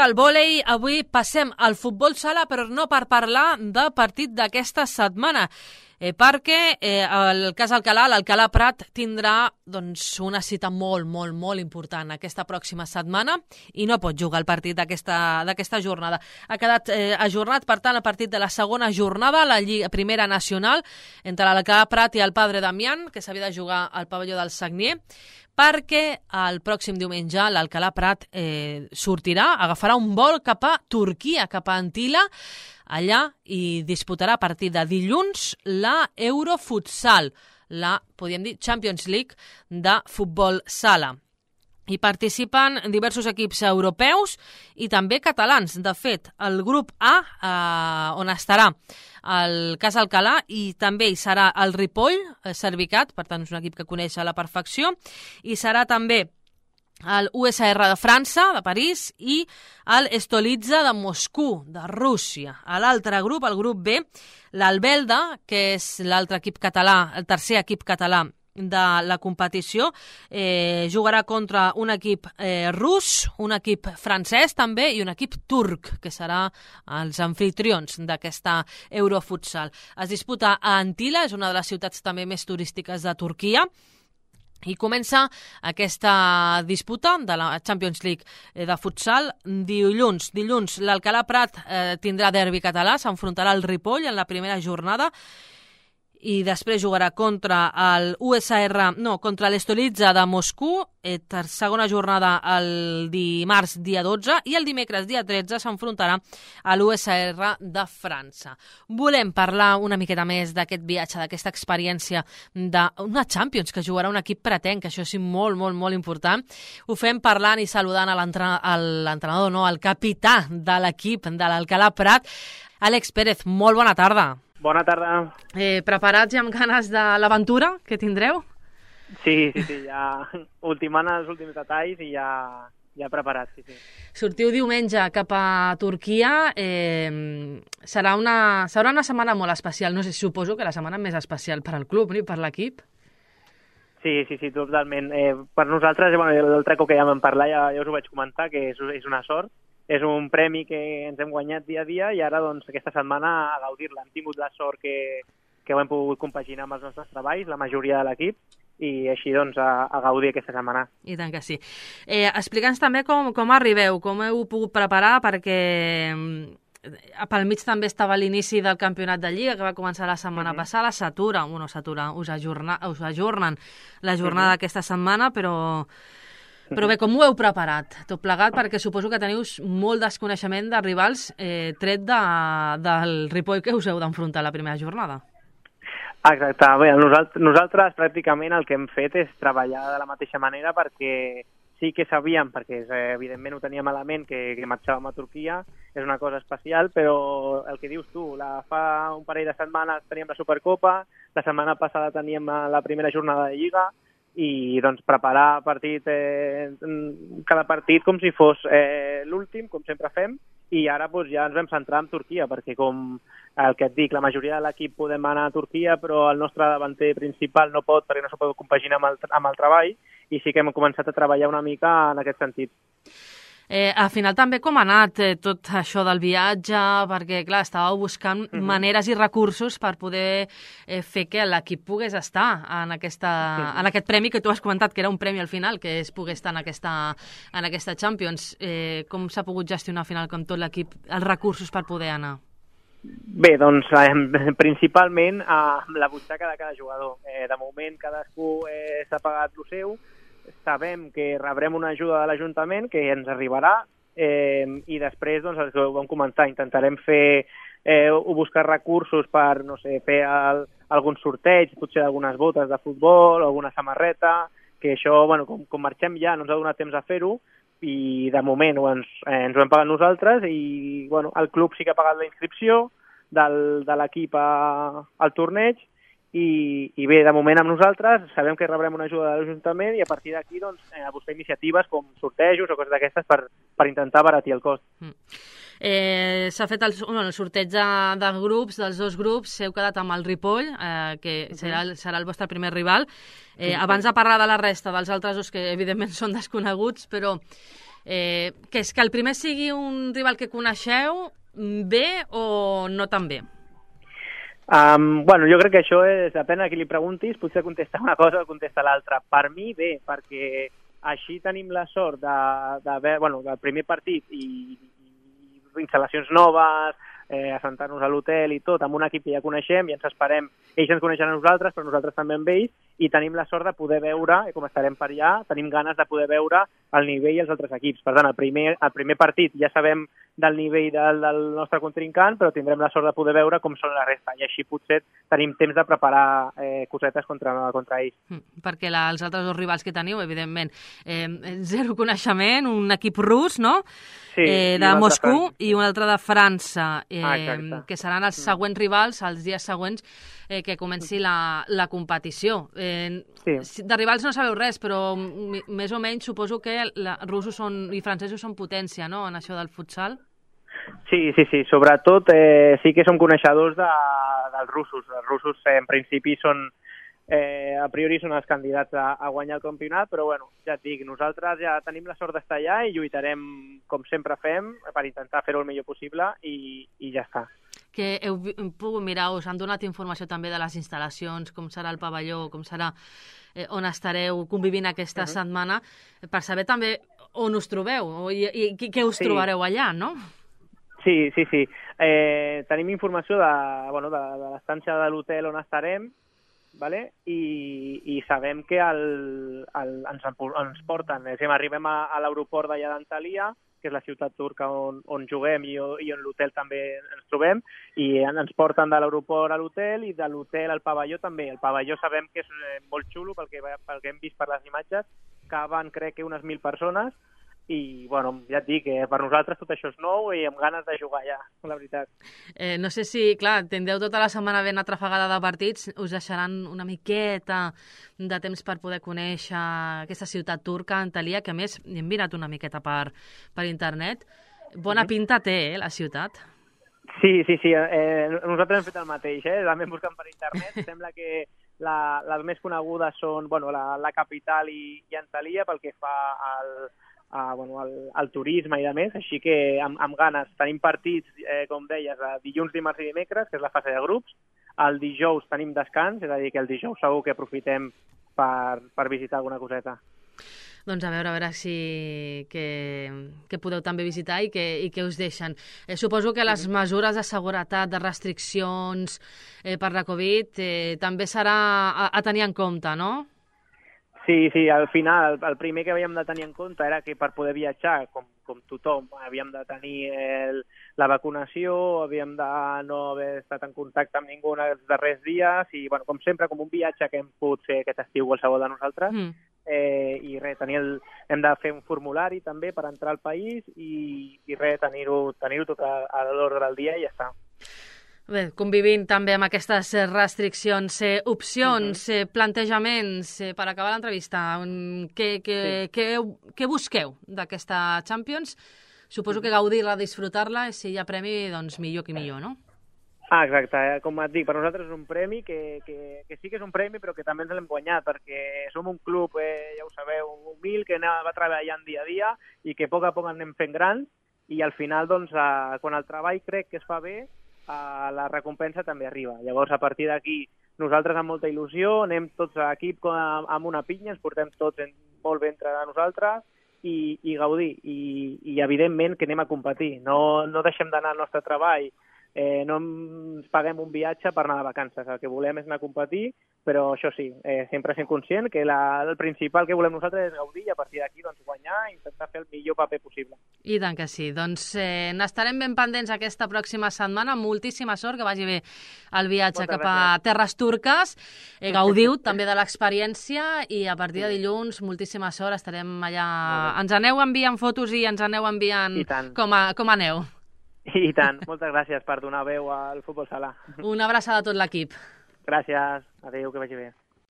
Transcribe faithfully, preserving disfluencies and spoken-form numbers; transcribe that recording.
del vòlei. Avui passem al futbol sala, però no per parlar del partit d'aquesta setmana, eh, perquè eh, el cas Alcalà, l'Alcalà Prat, tindrà doncs, una cita molt, molt, molt important aquesta pròxima setmana i no pot jugar el partit d'aquesta jornada. Ha quedat eh, ajornat, per tant, el partit de la segona jornada, la Lliga Primera Nacional, entre l'Alcalà Prat i el Padre Damián, que s'havia de jugar al pavelló del Sagnier, perquè el pròxim diumenge l'Alcalà Prat eh, sortirà, agafarà un vol cap a Turquia, cap a Antila, allà i disputarà a partir de dilluns la Eurofutsal, la, podríem dir, Champions League de futbol sala. Hi participen diversos equips europeus i també catalans. De fet, el grup A, eh, on estarà el cas Alcalà, i també hi serà el Ripoll, eh, Servicat, per tant és un equip que coneix a la perfecció, i serà també el U S R de França, de París, i el Stolitsa de Moscou, de Rússia. A l'altre grup, el grup B, l'Albelda, que és l'altre equip català, el tercer equip català de la competició, eh, jugarà contra un equip eh, rus, un equip francès també i un equip turc, que serà els anfitrions d'aquesta Eurofutsal. Es disputa a Antila, és una de les ciutats també més turístiques de Turquia, i comença aquesta disputa de la Champions League de futsal dilluns. Dilluns l'Alcalà Prat eh, tindrà derbi català, s'enfrontarà al Ripoll en la primera jornada i després jugarà contra el U S R, no, contra l'Stolitsa de Moscou, eh, segona jornada el dimarts dia dotze, i el dimecres dia tretze s'enfrontarà a l'U S R de França. Volem parlar una miqueta més d'aquest viatge, d'aquesta experiència d'una Champions que jugarà un equip pretenc, que això és molt, molt, molt important. Ho fem parlant i saludant a l'entrenador, no, el capità de l'equip de l'Alcalà Prat, Àlex Pérez. Molt bona tarda. Bona tarda. Eh, preparats i amb ganes de l'aventura que tindreu? Sí, sí, sí, ja ultimant els últims detalls i ja, ja preparats, sí, sí. Sortiu diumenge cap a Turquia, eh, serà, una, serà una setmana molt especial, no sé, suposo que la setmana més especial per al club i per l'equip. Sí, sí, sí, totalment. Eh, per nosaltres, bueno, l'altre cop que ja vam parlar, ja, ja us ho vaig comentar, que és, és una sort. És un premi que ens hem guanyat dia a dia i ara, doncs, aquesta setmana a gaudir-la. Hem tingut la sort que, que ho hem pogut compaginar amb els nostres treballs, la majoria de l'equip, i així, doncs, a, a gaudir aquesta setmana. I tant que sí. Eh, Explica'ns també com, com arribeu, com heu pogut preparar, perquè pel mig també estava l'inici del campionat de Lliga, que va començar la setmana uh-huh. passada, s'atura, bueno, s'atura, us, ajorna, us ajornen la jornada uh-huh. d'aquesta setmana, però... Però bé, com ho heu preparat, tot plegat, perquè suposo que teniu molt desconeixement de rivals eh, tret de, del Ripoll que us heu d'enfrontar la primera jornada. Exacte. Bé, nosaltres, nosaltres pràcticament el que hem fet és treballar de la mateixa manera perquè sí que sabíem, perquè eh, evidentment ho teníem a la ment, que, que marxàvem a Turquia, és una cosa especial, però el que dius tu, la, fa un parell de setmanes teníem la Supercopa, la setmana passada teníem la primera jornada de Lliga, i doncs preparar partit, eh, cada partit com si fos eh, l'últim, com sempre fem, i ara doncs, ja ens vam centrar en Turquia, perquè com el que et dic, la majoria de l'equip podem anar a Turquia, però el nostre davanter principal no pot, perquè no s'ho pot compaginar amb el, amb el treball, i sí que hem començat a treballar una mica en aquest sentit. Eh, al final també com ha anat eh, tot això del viatge, perquè clar, estàveu buscant uh-huh. maneres i recursos per poder eh, fer que l'equip pogués estar en, aquesta, uh-huh. en aquest premi que tu has comentat, que era un premi al final, que es pogués estar en aquesta, en aquesta Champions. Eh, com s'ha pogut gestionar al final com tot l'equip, els recursos per poder anar? Bé, doncs eh, principalment amb la butxaca de cada jugador. Eh, de moment cadascú eh, s'ha pagat el seu. Sabem que rebrem una ajuda de l'Ajuntament que ens arribarà eh, i després, doncs, el que vam comentar, intentarem fer eh, o buscar recursos per, no sé, fer el, algun sorteig, potser algunes botes de futbol, alguna samarreta, que això, bueno, com, com marxem ja no ens ha donat temps a fer-ho i de moment ens, eh, ens ho hem pagat nosaltres i, bueno, el club sí que ha pagat la inscripció del, de l'equip a, al torneig. I, i bé, de moment amb nosaltres sabem que rebrem una ajuda de l'Ajuntament i a partir d'aquí doncs, eh, buscar iniciatives com sortejos o coses d'aquestes per, per intentar abaratir el cost. Mm. Eh, S'ha fet el, bueno, el sorteig de, de grups, dels dos grups, heu quedat amb el Ripoll, eh, que uh-huh. serà, serà el vostre primer rival. Eh, uh-huh. Abans de parlar de la resta dels altres dos, que evidentment són desconeguts, però Eh, que és que el primer sigui un rival que coneixeu bé o no tan bé? Um, bueno, jo crec que això és, depèn a qui li preguntis, potser contesta una cosa o contesta l'altra. Per mi, bé, perquè així tenim la sort de, de, bueno, del primer partit i, i instal·lacions noves, eh, assentar-nos a l'hotel i tot, amb un equip que ja coneixem i ens esperem. Ells ens coneixen a nosaltres, però nosaltres també amb ells, i tenim la sort de poder veure, i com estarem per allà, tenim ganes de poder veure el nivell i els altres equips. Per tant, el primer, el primer partit ja sabem del nivell del, del nostre contrincant, però tindrem la sort de poder veure com són la resta, i així potser tenim temps de preparar eh, cosetes contra, contra ells. Mm, perquè la, els altres dos rivals que teniu, evidentment, eh, zero coneixement, un equip rus, no? Sí, eh, de Moscou i un altre de França, eh, ah, que seran els següents rivals, els dies següents eh, que comenci la, la competició. Eh, sí. De rivals no sabeu res, però més o menys suposo que la, russos són, i francesos són potència, no?, en això del futsal. Sí, sí, sí. Sobretot eh, sí que som coneixedors de, dels russos. Els russos eh, en principi són, eh, a priori són els candidats a, a guanyar el campionat, però bueno, ja et dic, nosaltres ja tenim la sort d'estar allà i lluitarem com sempre fem per intentar fer-ho el millor possible i, i ja està. Que heu pogut mirar, us han donat informació també de les instal·lacions, com serà el pavelló, com serà eh, on estareu convivint aquesta uh-huh. setmana, per saber també on us trobeu i, i què us sí. trobareu allà, no? Sí, sí, sí. Eh, tenim informació de, bueno, de, de l'estància de l'hotel on estarem, vale? I, i sabem que el, el, ens, ens porten, és a dir, arribem a, a l'aeroport d'allà d'Antalya, que és la ciutat turca on, on juguem i, i on l'hotel també ens trobem, i ens porten de l'aeroport a l'hotel i de l'hotel al pavelló també. El pavelló sabem que és molt xulo pel que, pel que hem vist per les imatges, caben crec que unes mil persones, i, bueno, ja et dic, eh, per nosaltres tot això és nou i amb ganes de jugar ja, la veritat. Eh, no sé si, clar, tindreu tota la setmana ben atrafegada de partits, us deixaran una miqueta de temps per poder conèixer aquesta ciutat turca, Antalya, que a més hem mirat una miqueta per, per internet. Bona pinta té, eh, la ciutat. Sí, sí, sí. Eh, nosaltres hem fet el mateix, eh? També buscant per internet. Sembla que la, les més conegudes són, bueno, la, la capital i, i Antalya pel que fa al a, bueno, al, al turisme i de més, així que amb, amb ganes. Tenim partits, eh, com deies, dilluns, dimarts i dimecres, que és la fase de grups. El dijous tenim descans, és a dir, que el dijous segur que aprofitem per, per visitar alguna coseta. Doncs a veure, a veure si que, que podeu també visitar i que, i que us deixen. Eh, suposo que les mesures de seguretat, de restriccions eh, per la Covid eh, també serà a, a tenir en compte, no? Sí, sí, al final el primer que havíem de tenir en compte era que per poder viatjar, com, com tothom, havíem de tenir el, la vacunació, havíem de no haver estat en contacte amb ningú els darrers dies i, bueno, com sempre, com un viatge que hem pogut fer aquest estiu qualsevol de nosaltres. Mm. Eh, I res, tenir el, hem de fer un formulari també per entrar al país i, i res, tenir-ho tenir tot a, a l'ordre del dia i ja està. Bé, convivint també amb aquestes restriccions, eh, opcions, uh-huh. eh, plantejaments, eh, per acabar l'entrevista, què, què, sí. què, què busqueu d'aquesta Champions? Suposo uh-huh. que gaudir-la, disfrutar-la, i si hi ha premi, doncs millor que millor, no? Ah, exacte. Eh? Com et dic, per nosaltres és un premi que, que, que sí que és un premi, però que també ens l'hem guanyat, perquè som un club, eh, ja ho sabeu, humil, que va treballant dia a dia i que a poc a poc anem fent grans, i al final, doncs, eh, quan el treball crec que es fa bé, la recompensa també arriba. Llavors, a partir d'aquí, nosaltres amb molta il·lusió, anem tots a equip amb una pinya, ens portem tots molt bé entre nosaltres i, i gaudir. I, I, evidentment, que anem a competir. No, no deixem d'anar al nostre treball, eh, no ens paguem un viatge per anar de vacances. El que volem és anar a competir, però això sí, eh, sempre sent conscient que la, el principal que volem nosaltres és gaudir i a partir d'aquí doncs, guanyar i intentar fer el millor paper possible. I tant que sí. Doncs eh, n'estarem ben pendents aquesta pròxima setmana. Moltíssima sort, que vagi bé el viatge Moltes cap gràcies. a terres turques. Eh, gaudiu també de l'experiència i a partir de dilluns, moltíssima sort, estarem allà. Ens aneu enviant fotos i ens aneu enviant com, a, com aneu. I tant. Moltes gràcies per donar veu al futbol sala. Una abraçada a tot l'equip. Gràcies. Adéu, que vagi bé.